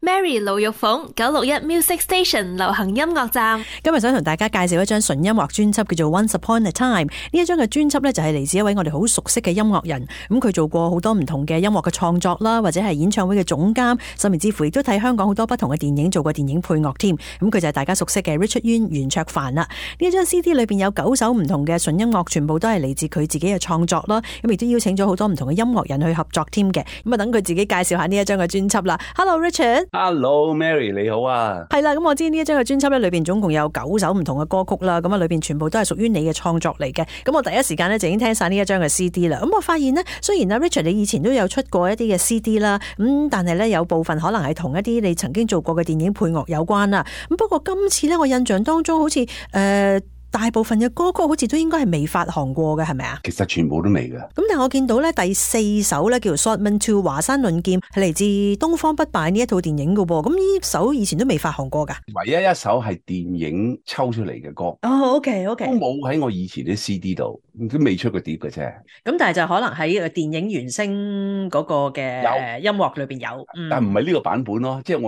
Mary 盧玉鳳961 Music Station 流行音樂站，今日想同大家介紹一張純音樂專輯，叫做 Once Upon a Time。呢一張嘅專輯呢，就係嚟自一位我哋好熟悉嘅音樂人，咁佢做過好多唔同嘅音樂嘅創作啦，或者係演唱會嘅總監，甚至乎亦都睇香港好多不同嘅電影做過電影配樂添。咁佢就係大家熟悉嘅 Richard Yuen 袁卓凡啦。呢一張 CD 裏邊有9首唔同嘅純音樂，全部都係嚟自佢自己嘅創作啦。咁亦都邀請咗好多唔同嘅音樂人去合作添嘅。咁啊，等佢自己介紹下呢一張嘅專輯啦。Hello Richard。Hello Mary 你好啊，係啦，咁我知呢一張嘅專輯咧，裏邊總共有9首唔同嘅歌曲啦，咁啊裏邊全部都係屬於你嘅創作嚟嘅。咁我第一時間咧就已經聽晒呢一張嘅 CD 啦。咁我發現呢，雖然阿 Richard 你以前都有出過一啲嘅 CD 啦，咁但係咧有部分可能係同一啲你曾經做過嘅電影配樂有關啦。咁不過今次咧，我印象當中好似大部分嘅歌曲好似都應該係未發行過嘅，係咪啊？其實全部都未嘅。咁但係我見到咧第4首咧叫做 Swordman 2華山論劍，係嚟自東方不敗呢一套電影㗎噃。咁呢首以前都未發行過㗎。唯一一首係電影抽出嚟嘅歌。哦，OK， 都冇喺我以前啲 CD 度，都未出過碟嘅啫。咁但係就可能喺電影原聲嗰個嘅音樂裏邊有，但唔係呢個版本咯，即係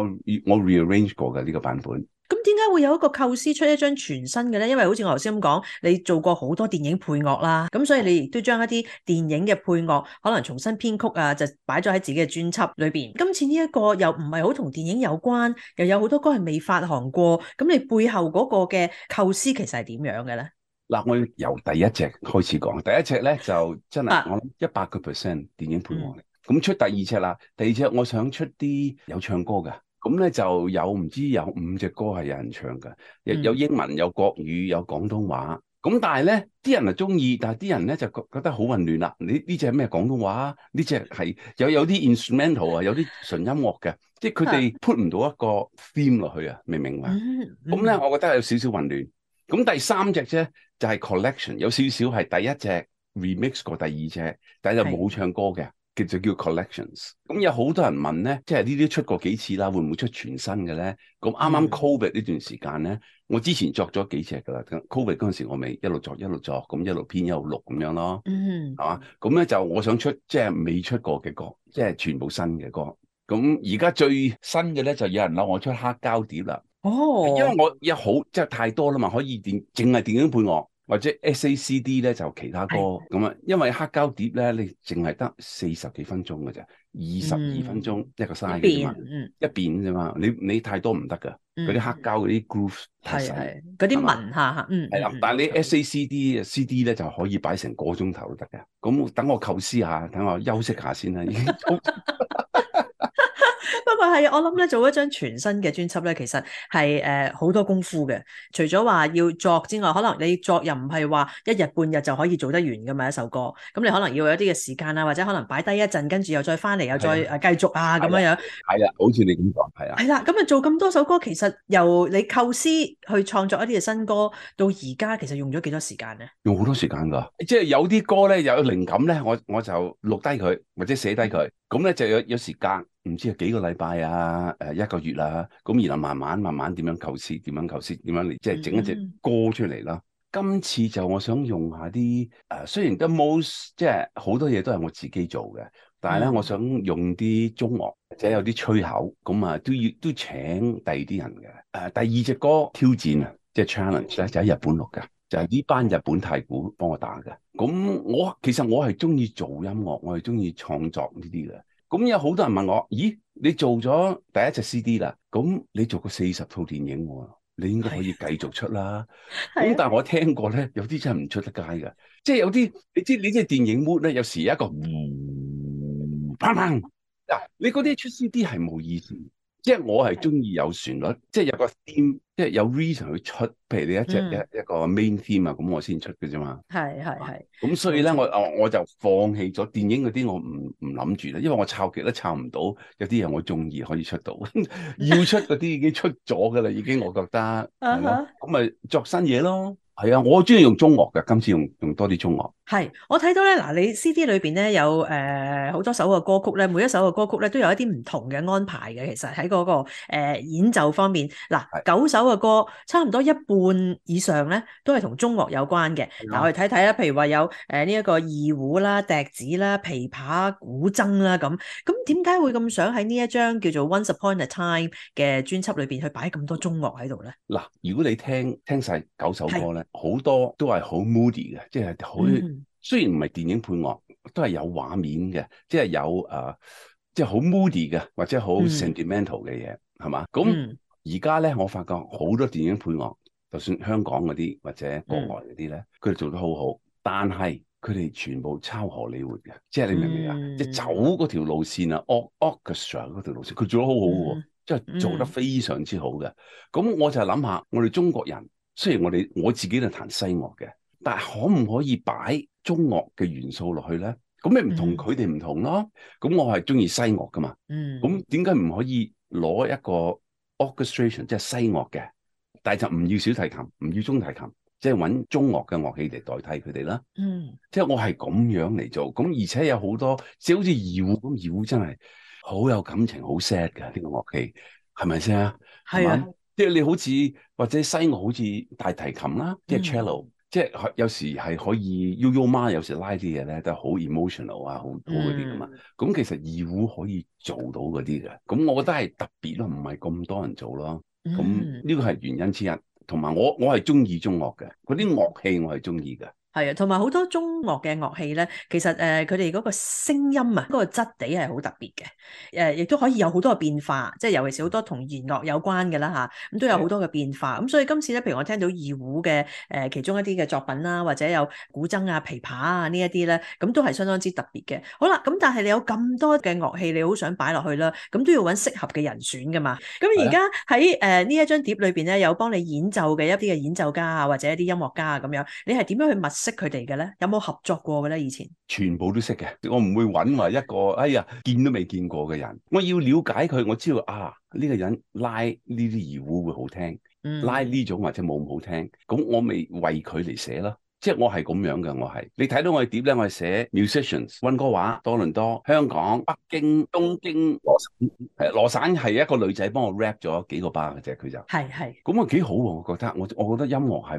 我 rearrange 過嘅呢個版本。咁點解會有一個構思出一張全新嘅咧？因為好似我頭先咁講，你做過好多電影配樂啦，咁所以你亦都將一啲電影嘅配樂可能重新編曲啊，就擺咗喺自己嘅專輯裏邊。今次呢一個又唔係好同電影有關，又有好多歌係未發行過，咁你背後嗰個嘅構思其實係點樣嘅咧？嗱，我由第一隻開始講，第一隻咧就真係我諗100% 電影配樂嚟。咁出第二隻啦，第二隻我想出啲有唱歌嘅。咁咧就有唔知有5隻歌係有人唱嘅，有英文、有國語、有廣東話。咁但係咧，啲人就中意，但係啲人咧就覺得好混亂啦。呢隻係咩廣東話？呢隻係有啲 instrumental 啊，有啲純音樂嘅，即係佢哋 put 唔到一個 theme 落去啊，明唔明白？咁咧，我覺得有少少混亂。咁第三隻啫就係 collection， 有少少係第一隻 remix 過第二隻，但係就冇唱歌嘅。叫 collections， 咁有好多人問咧，即係呢啲出過幾次啦，會唔會出全新嘅咧？咁啱啱 Covid 呢段時間咧，我之前作咗幾隻噶啦，Covid 嗰陣時我咪一路作，咁一路編一路錄咁樣咯，係嘛？咁咧就我想出即係未出過嘅歌，即係全部新嘅歌。咁而家最新嘅咧就有人諗我出黑膠碟啦，因為我有好即係太多啦嘛，可以淨係電影配樂。或者 SACD 咧就其他歌咁啊，因為黑膠碟咧你淨係得40幾分鐘嘅啫，22分鐘一個 size 嘅嘛，一邊啫嘛，你太多唔得噶，嗰啲黑膠嗰啲 groove 太細，嗰啲文下係啦，但係你 SACD CD 咧就可以擺成個鐘頭都得嘅，咁等我構思下，等我休息下先啦，已經。不過係我諗咧，做一張全新嘅專輯咧，其實係好多功夫嘅。除咗話要作之外，可能你作又唔係話一日半日就可以做得完噶嘛一首歌。咁你可能要有一啲嘅時間啊，或者可能擺低一陣，跟住又再翻嚟，又再繼續啊咁樣樣。係啦，好似你咁講，係啊。係啦，咁啊做咁多首歌，其實由你構思去創作一啲嘅新歌，到而家其實用咗幾多時間咧？用好多時間噶，即係有啲歌咧有靈感咧，我就錄低佢或者寫低佢，咁咧就有時間。唔知係幾個禮拜啊，1個月啊，咁然後慢慢點樣構思，點樣嚟，即係整一隻歌出嚟啦。今次就我想用下啲雖然 the most 即係好多嘢都係我自己做嘅，但係咧我想用啲中樂或者有啲吹口，咁啊都請第二啲人嘅。第二隻歌挑戰啊，即係 challenge 咧就喺日本錄嘅，就係呢班日本太鼓幫我打嘅。咁其實我係中意做音樂，我係中意創作呢啲嘅。咁有好多人問我，咦，你做咗第一隻 CD 啦，咁你做過40套電影喎，你應該可以繼續出啦。咁但係我聽過咧，有啲真係唔出得街㗎，即係有啲你知電影 mood 咧，有時有一個砰砰嗱，你嗰啲出 CD 係冇意思。即係我係中意有旋律，即係有個 theme，即係有 reason 去出。譬如你一個 main theme 啊，咁我先出嘅啫嘛。係。咁所以咧，我就放棄咗電影嗰啲，我唔諗住啦，因為我抄極都抄唔到，有啲嘢我中意可以出到，要出嗰啲已經出咗噶啦，已經我覺得係咯，咁咪作新嘢咯。係啊，我中意用中樂嘅，今次用多啲中樂。係，我睇到咧，嗱，你 CD 裏邊咧有好多首嘅歌曲咧，每一首嘅歌曲咧都有一啲唔同嘅安排嘅。其實喺嗰個演奏方面，嗱9首嘅歌，差唔多一半以上咧都係同中樂有關嘅。嗱，我哋睇睇啦，譬如話有呢一個二胡啦、笛子啦、琵琶、古箏啦咁。咁點解會咁想喺呢一張叫做《Once Upon a Time》嘅專輯裏邊去擺咁多中樂喺度咧？嗱，如果你聽晒9首歌咧，好多都係好 moody 嘅，即係好。雖然唔係電影配樂，都係有畫面嘅，即係有即係好 moody 嘅，或者好 sentimental 嘅嘢，係嘛？咁而家咧，我發覺好多電影配樂，就算香港嗰啲或者國外嗰啲咧，佢哋做得好好，但係佢哋全部抄荷里活嘅，即係你明唔明啊？即係走嗰條路線啊，orchestra 嗰條路線，佢做得好好喎，即係做得非常之好嘅。咁我就諗下，我哋中國人雖然我自己係彈西樂嘅，但係可唔可以擺中樂嘅元素落去咧？咁你唔同佢哋唔同咯。咁我係中意西樂噶嘛。咁點解唔可以攞一個 orchestration 即係西樂嘅，但係就唔要小提琴，唔要中提琴，即係揾中樂嘅樂器嚟代替佢哋啦。即係我係咁樣嚟做。咁而且有好多，即係好似二胡咁，二胡真係好有感情，好 sad 嘅呢個樂器，係咪先啊？係啊。即係你好似或者西樂好似大提琴啦，即係 cello。即係有時係可以悠悠媽，有時拉啲嘢咧都係好 emotional 啊，好嗰啲噶嘛。咁其實二胡可以做到嗰啲嘅，咁我覺得係特別咯，唔係咁多人做咯。咁呢個係原因之一，同埋我係中意中樂嘅，嗰啲樂器我係中意嘅。係啊，同埋好多中樂嘅樂器咧，其實佢哋嗰個聲音啊，嗰個質地係好特別嘅，亦都可以有好多嘅變化，即係尤其是好多同弦樂有關嘅啦嚇，咁都有好多嘅變化。咁所以今次咧，譬如我聽到二胡嘅其中一啲嘅作品啦，或者有古箏啊、琵琶啊呢一啲咧，咁都係相當之特別嘅。好啦，咁但係你有咁多嘅樂器，你好想擺落去啦，咁都要揾適合嘅人選噶嘛。咁而家喺呢一張碟裏邊咧，有幫你演奏嘅一啲嘅演奏家啊，或者一啲音樂家啊咁樣，你係點樣去識佢哋嘅咧？有冇合作過嘅咧？以前全部都識嘅，我唔會揾話一個哎呀見都未見過嘅人。我要了解佢，我知道啊呢個人拉呢啲二胡會好聽，拉呢種或者冇咁好聽，咁我咪為佢嚟寫咯。即係我係咁樣嘅，我係你睇到我嘅碟咧，我係寫 musicians 溫哥華、多倫多、香港、北京、東京、羅省。羅省係一個女仔幫我 rap 咗幾個 bar 嘅啫，佢就係咁啊，幾好喎！我覺得我覺得音樂係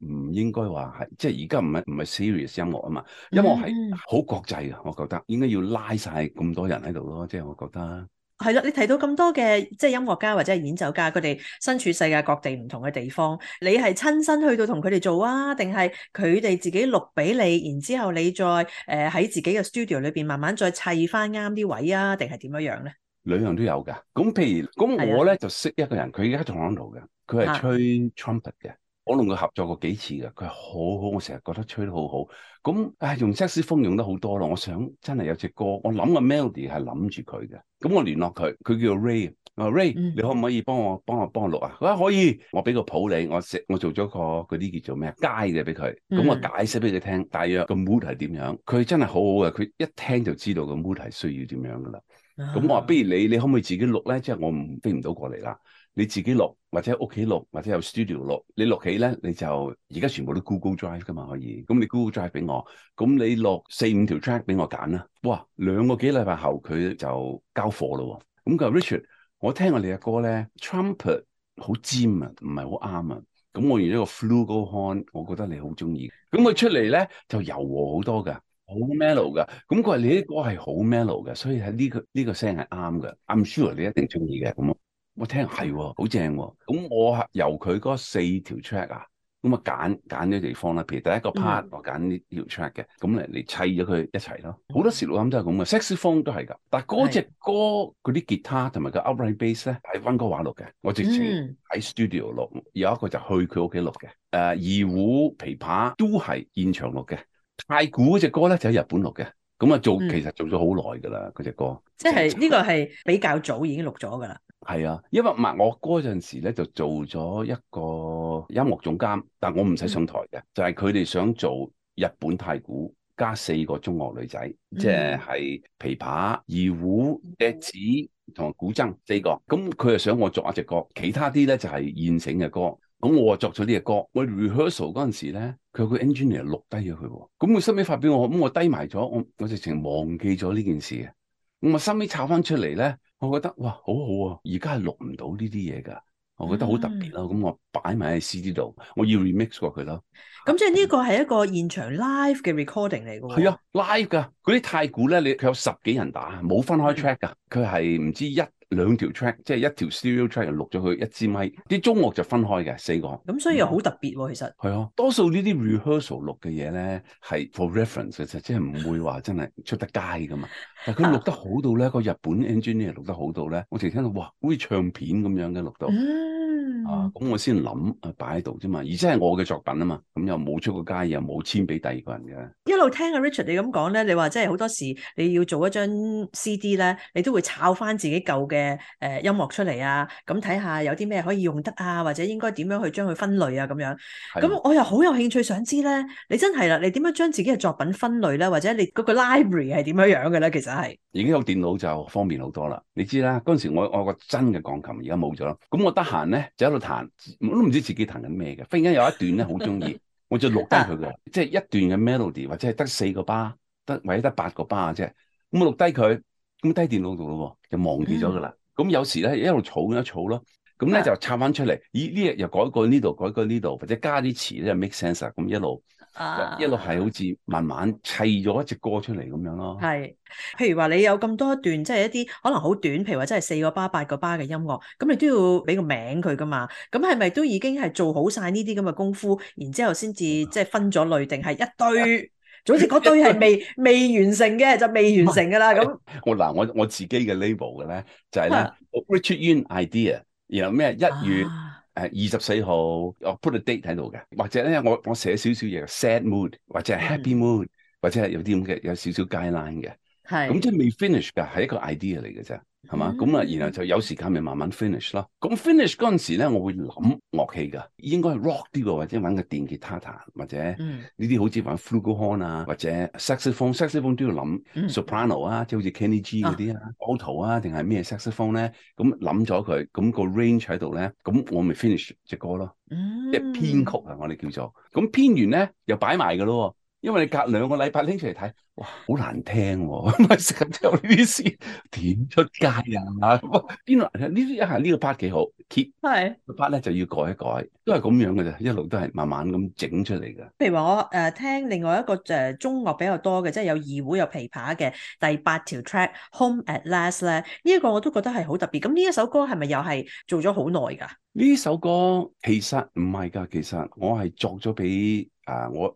唔應該話係即係而家唔係 serious 音樂啊嘛，音樂係好國際嘅，我覺得應該要拉晒咁多人喺度咯，即係我覺得。係啦，你提到咁多嘅即係音樂家或者係演奏家，佢哋身處世界各地唔同嘅地方，你係親身去到同佢哋做啊，定係佢哋自己錄俾你，然之後你再喺自己嘅 studio 裏邊慢慢再砌翻啱啲位啊，定係點樣樣咧？兩樣都有㗎。咁譬如咁我咧就識一個人，佢而家喺 Toronto嘅，佢係吹 trumpet 嘅。我同佢合作過幾次嘅，佢係好好，我成日覺得吹得好好。咁用 saxophone 用得好多咯。我想真係有隻歌，我諗個 melody 係諗住佢嘅。咁我聯絡佢，佢叫 Ray。我話 Ray，你可唔可以幫我錄啊？佢話可以，我俾個譜你，我做咗個嗰啲叫做咩街嘅俾佢。咁我解釋俾佢聽，大約個 mood 係點樣。佢真係好好嘅，佢一聽就知道個 mood 係需要點樣噶啦。咁我話不如你可唔可以自己錄咧？即係我飛唔到過嚟啦。你自己錄，或者屋企錄，或者有 studio 錄。你錄起咧，你就而家全部都 Google Drive 噶嘛，可以。咁你 Google Drive 俾我，咁你錄4-5條 track 俾我揀啦。哇，2個幾禮拜後佢就交貨咯。咁佢話 Richard，我聽過你嘅歌咧 ，trumpet 好尖啊，唔係好啱啊。咁我用咗個 flugelhorn，我覺得你好中意。咁佢出嚟咧就柔和好多噶，好 mellow 噶。咁佢話你啲歌係好 mellow 嘅，所以喺呢個聲係啱嘅。I'm sure 你一定中意嘅。咁我聽係好正喎。咁我由佢嗰4條 track 啊，咁啊揀啲地方啦。譬如第一個 part 我揀呢條 track 嘅，咁嚟砌咗佢一齊咯。好多時錄音都係咁嘅，saxophone 都係㗎。但係嗰隻歌嗰啲吉他同埋個 upright bass 咧係溫哥華錄嘅，我直情喺 studio 錄。有一個就去佢屋企錄嘅。二胡、琵琶都係現場錄嘅。太鼓嗰隻歌咧就喺日本錄嘅。咁啊其實做咗好耐㗎啦，嗰隻歌。即係呢個係比較早已經錄咗㗎啦。係啊，因為我嗰陣時咧就做咗一個音樂總監，但我唔使上台嘅，就係佢哋想做日本太鼓加4個中樂女仔，即係琵琶、二胡、笛子同埋古箏4個。咁佢就想我作一隻歌，其他啲咧就係現成嘅歌。咁我作咗呢隻歌，我 rehearsal 嗰陣時咧，佢有個 engineer 錄低咗佢喎。咁佢收尾發俾我，咁我低埋咗，我直情忘記咗呢件事嘅。咁我收尾抄翻出嚟咧，我覺得哇，好好啊！而家係錄唔到呢啲嘢㗎，我覺得好特別咯。咁我擺埋喺 CD 度，我要 remix 過佢咯。咁即係呢個係一個現場 live 嘅 recording 嚟㗎喎。係啊，live 㗎。嗰啲太鼓咧，佢有10幾人打，冇分開 track 㗎。佢係唔知1-2條 track，即係一條 stereo track 錄咗佢一支咪。啲中樂就分開嘅4個。咁所以又好特別喎，其實。係啊，多數呢啲 rehearsal 錄嘅嘢咧係 for reference 嘅啫，即係唔會話真係出得街㗎嘛。但係佢錄得好到咧，個日本 engineer 錄得好到咧，我淨係聽到哇，好似唱片咁樣嘅錄到。咁我先諗擺喺度啫嘛，而且係我嘅作品啊嘛，咁又冇出過街，又冇簽俾第二個人嘅。一路聽阿 Richard 你咁講咧，你話即係好多時你要做一張 CD 咧，你都會抄翻自己舊嘅音樂出嚟啊，咁睇下有啲咩可以用得啊，或者應該點樣去將佢分類啊咁樣。咁我又好有興趣想知咧，你真係啦，你點樣將自己嘅作品分類咧，或者你嗰個 library 係點樣嘅咧？其實係已經有電腦就方便好多啦。你知啦，嗰陣時我個真嘅鋼琴而家冇咗啦，咁我得閒咧就喺度彈，我都唔知自己彈緊咩嘅。忽然間有一段咧好中意，我就錄低佢嘅，即係一段嘅 melody 或者係得4個巴，或者得8個巴嘅啫。咁我錄低佢，咁低電腦度咯，就忘記咗噶啦。咁有時咧一路儲一儲咯，咁咧就插翻出嚟。咦，呢日又改過呢度，改過呢度，或者加啲詞咧 make sense 啊。咁一路係好似慢慢砌咗一隻歌出嚟咁樣咯。係，譬如話你有咁多一段，即係一啲可能好短，譬如話真係4個巴、8個巴嘅音樂，咁你都要俾個名佢噶嘛？咁係咪都已經係做好晒呢啲咁嘅功夫，然之後先至即係分咗類，定係一堆？總之嗰堆係未完成嘅，就未完成噶啦。咁我自己嘅 label 嘅咧就係咧 Richard Yuen idea， 然後咩1月24號我 put a date 喺度嘅，或者咧我寫少少嘢 sad mood 或者係 happy mood，或者係有啲咁嘅有少少 guideline 嘅，咁即係未 finish 㗎，係一個 idea 嚟嘅啫。係嘛？咁啊，然後就有時間咪慢慢 finish 咯。咁 finish 嗰陣時咧，我會諗樂器㗎，應該係 rock 啲嘅，或者揾個電吉他彈，或者呢啲好似玩 flugelhorn 啊，或者 saxophone 都要諗 soprano 啊，即係好似 Kenny G 嗰啲啊，alto 啊，定係咩 saxophone 咧？咁諗咗佢，咁個 range 喺度咧，咁我咪 finish 隻歌咯。即係編曲啊，我哋叫做。咁編完咧又擺埋㗎咯。因為你隔2個禮拜拎出嚟睇，哇，好難聽喎！咪成日聽呢啲詩點出街啊？邊度呢啲一係呢個 part 幾好 ，keep 個 part 咧就要改一改，都係咁樣嘅啫，一路都係慢慢咁整出嚟嘅。譬如話我聽另外一個中樂比較多嘅，即係有二胡有琵琶嘅第8條 track Home at Last 咧，呢一個我都覺得係好特別。咁呢一首歌係咪又係做咗好耐㗎？呢首歌其實唔係㗎，其實我係作咗俾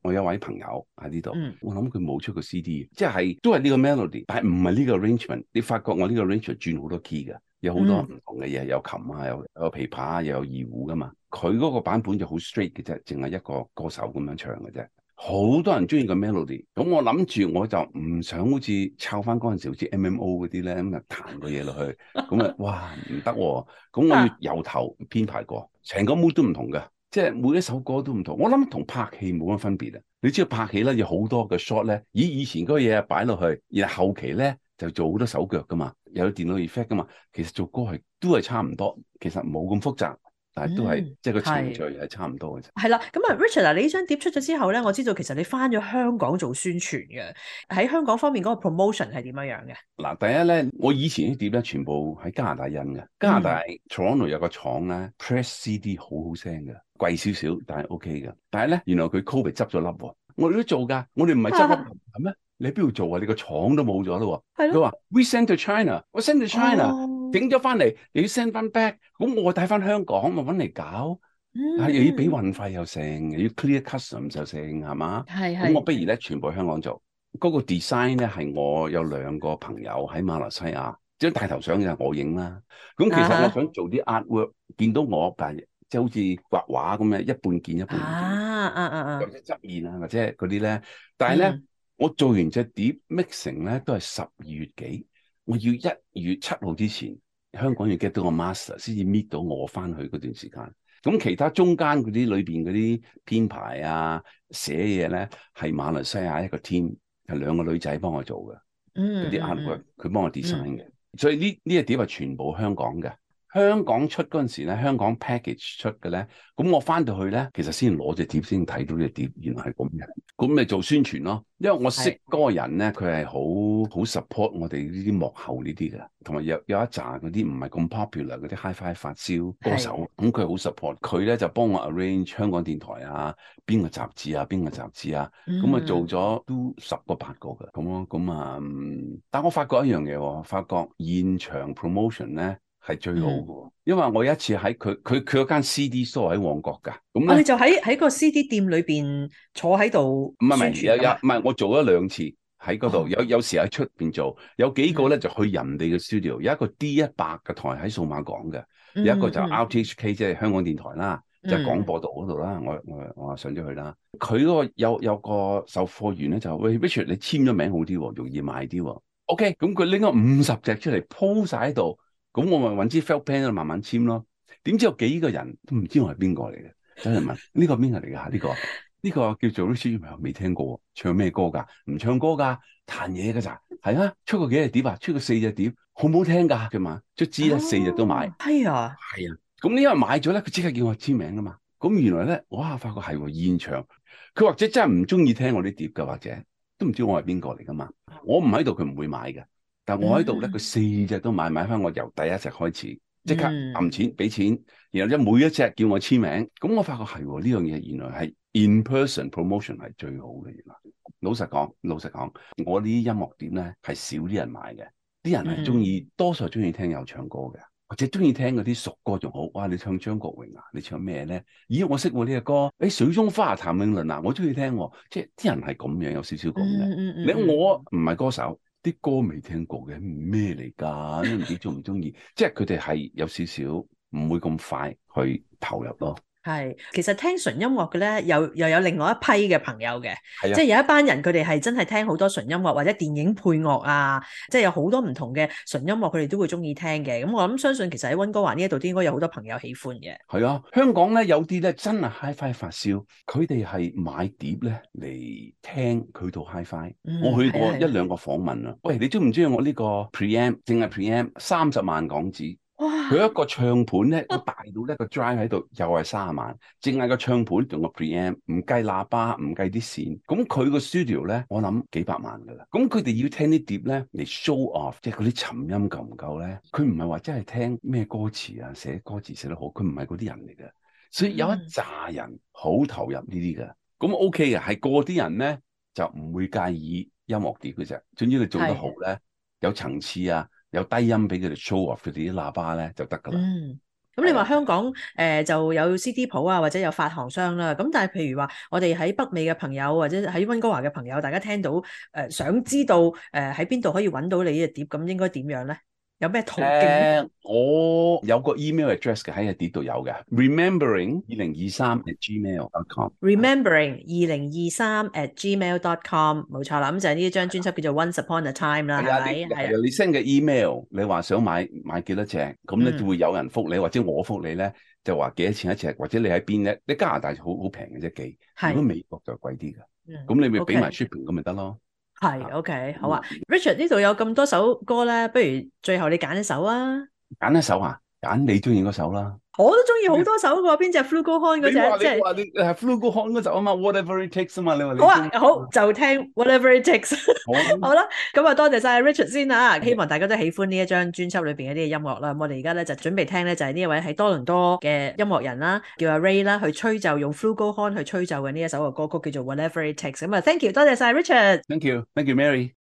我有位朋友喺呢度，我諗佢冇出過 CD， 即係都係呢個 melody， 但係唔係呢個 arrangement。你發覺我呢個 arrangement 轉好多 key 㗎，有好多唔同嘅嘢，有琴啊，有琵琶啊，又有二胡㗎嘛。佢嗰個版本就好 straight 嘅啫，淨係一個歌手咁樣唱嘅啫。好多人中意個 melody， 咁我諗住我就唔想好似抄翻嗰陣時好似 MMO 嗰啲咧，咁啊彈個嘢落去，咁啊哇唔得喎，咁我要由頭編排過，成個 mood 都唔同嘅，即係每一首歌都唔同。我諗同拍戲冇乜分別啊！你知道拍戲咧有好多嘅 shot 咧，以前嗰個嘢擺落去，然後後期咧就做好多手腳噶嘛，有電腦 effect 噶嘛，其實做歌都係差唔多，其實冇咁複雜。但係都係即係個程序係差唔多嘅啫。係啦，咁啊 Richard 你呢張碟出咗之後咧，我知道其實你翻咗香港做宣傳嘅，喺香港方面嗰個 promotion 係點樣樣嘅？嗱，第一咧，我以前啲碟咧全部喺加拿大印嘅，加拿大 Toronto 有個廠咧 press CD 好好聲嘅，貴少少但係 OK 嘅。但係咧，原來佢 Covid 執咗笠喎，我哋都做㗎，我哋唔係執笠係咩？你喺邊度做啊？你個廠都冇咗咯喎。佢話 We send to China， 我 send to China，整咗翻嚟又要 send 翻 back， 咁我帶翻香港咪揾嚟搞，又要俾運費又成，又要 clear custom 就成係嘛？咁我不如咧全部香港做。嗰個 design 咧係我有2個朋友喺馬來西亞，張大頭相就係我影啦。咁其實我想做啲 artwork，見到我但係即係好似畫畫咁樣，一半見一半唔見，或者側面啊或者嗰啲咧，但係咧。我做完隻碟 mixing 咧都係12月幾，我要1月7號之前香港要 get 到個 master 先至搣到我翻去嗰段時間。咁其他中間嗰啲裏邊嗰啲編排啊寫嘢咧係馬來西亞一個 team， 係2個女仔幫我做嘅，嗰啲 artwork 佢幫我 design 嘅，所以呢隻碟係全部香港嘅。香港出嗰陣時咧，香港 package 出嘅咧，咁我翻到去咧，其實先攞隻碟先睇到隻碟，原來係咁嘅，咁咪做宣傳咯。因為我識嗰個人咧，佢係好 support 我哋呢啲幕後呢啲嘅，同埋有一紮嗰啲唔係咁 popular 嗰啲 hi-fi 發燒歌手，咁佢好 support，佢咧就幫我 arrange 香港電台啊，邊個雜誌啊，咁啊做咗都10個8個嘅，咁咯，咁啊，但我發覺一樣嘢，發覺現場 promotion 咧係最好嘅，因為我有一次喺佢嗰間 CD store 喺旺角㗎，咁你就喺個 CD 店裏邊坐喺度宣傳㗎嘛？唔係，我做咗2次喺嗰度，有時喺出邊做，有幾個咧就去人哋嘅 studio，有一個 D100嘅台喺數碼港嘅，有一個就 RTHK 即係香港電台啦。就喺廣播道嗰度啦，我上咗去啦。佢嗰個有個售貨員咧就喂 Richard， 你簽咗名好啲喎，容易賣啲喎。OK， 咁佢拎咗50隻出嚟鋪晒喺度，咁我咪揾支 felt pen 慢慢簽咯。點知有幾個人都唔知我係邊個嚟嘅，真係問呢個邊個嚟㗎？呢個叫做 Richard， 未聽過，唱咩歌㗎？唔唱歌㗎，彈嘢㗎咋？係啊，出過幾隻碟啊？出過4隻碟，好唔好聽㗎？佢嘛，卒之咧4隻都買。係啊。咁呢因為買咗咧，佢即刻叫我簽名噶嘛。咁原來咧，哇！發覺係喎現場，佢或者真係唔中意聽我啲碟噶，或者都唔知我係邊個嚟噶嘛。我唔喺度，佢唔會買嘅。但我喺度咧，佢4隻都買翻我由第一隻開始，即刻揞錢俾錢，然後每一隻叫我簽名。咁我發覺係喎呢樣嘢，原來係 in person promotion 係最好嘅。原來老實講，我呢啲音樂碟咧係少啲人買嘅，啲人係中意，多數中意聽有唱歌嘅。或者中意聽嗰啲熟歌仲好，哇！你唱張國榮啊，你唱咩咧？咦，我識喎呢個歌，水中花譚詠麟啊，我中意聽喎，即係啲人係咁樣，有少少咁嘅。我唔係歌手，啲歌未聽過嘅，咩嚟㗎？都唔知中唔中意，即係佢哋係有少少唔會咁快去投入咯。係，其實聽純音樂嘅咧，又有另外一批嘅朋友嘅，即係有一班人佢哋係真係聽好多純音樂或者電影配樂啊，即係有好多唔同嘅純音樂，佢哋都會中意聽嘅。咁我諗相信其實喺溫哥華呢一度都應該有好多朋友喜歡嘅。係啊，香港咧有啲咧真係 hi-fi 發燒，佢哋係買碟咧嚟聽佢套 hi-fi。我去過1、2個訪問啊，喂，你中唔中意我呢個 preamp？淨係 preamp 30萬港紙。佢一個唱盤咧，個大到咧個 drive 喺度，又係30萬，淨係個唱盤同個 preamp，唔計喇叭，唔計啲線。咁佢個 studio 咧，我諗幾百萬噶啦。咁佢哋要聽啲碟咧嚟 show off，即係嗰啲沉音夠唔夠咧？佢唔係話真係聽咩歌詞啊，寫歌詞寫得好，佢唔係嗰啲人嚟嘅。所以有一紮人好投入呢啲嘅，咁 OK 嘅，係個啲人咧就唔會介意音樂碟嘅啫。總之你做得好咧，有層次啊。有低音俾佢哋 show off 佢哋啲喇叭咧就得噶啦。咁你話香港就有 CD 鋪啊，或者有發行商啦。咁但係譬如話我哋喺北美嘅朋友或者喺溫哥華嘅朋友，大家聽到想知道喺邊度可以揾到你呢隻碟，咁應該點樣咧？有咩途徑？我有個 email address 嘅喺個碟度有嘅 remembering2023@gmail.com。remembering2023@gmail.com 冇錯啦，咁就係呢一張專輯叫做 Once Upon a Time 啦，係咪？係你 send 嘅 email， 你話想買幾多隻，咁咧就會有人覆你，或者我覆你咧，就話幾多錢一隻，或者你喺邊咧？你加拿大好平嘅啫寄，如果美國就貴啲㗎。咁你咪俾埋 shipping 咁咪得咯。係 OK， 好啊。Richard 呢度有咁多首歌咧，不如最後你揀一首啊？揀一首啊？揀你中意嗰首啦。我都中意好多首㗎，邊隻 Flugelhorn 嗰隻？你話你係 Flugelhorn 嗰首啊嘛 ，Whatever It Takes 啊嘛，你話你。好啊，好就聽 Whatever It Takes。好啦，咁啊多謝晒 Richard 先啦，希望大家都喜歡呢一張專輯裏邊嘅啲音樂啦。我哋而家咧就準備聽咧就係呢一位喺多倫多嘅音樂人啦，叫阿 Ray 啦，去吹奏用 Flugelhorn 去吹奏嘅呢一首嘅歌曲叫做 Whatever It Takes。咁啊 ，Thank you， 多謝晒 Richard。Thank you，Mary。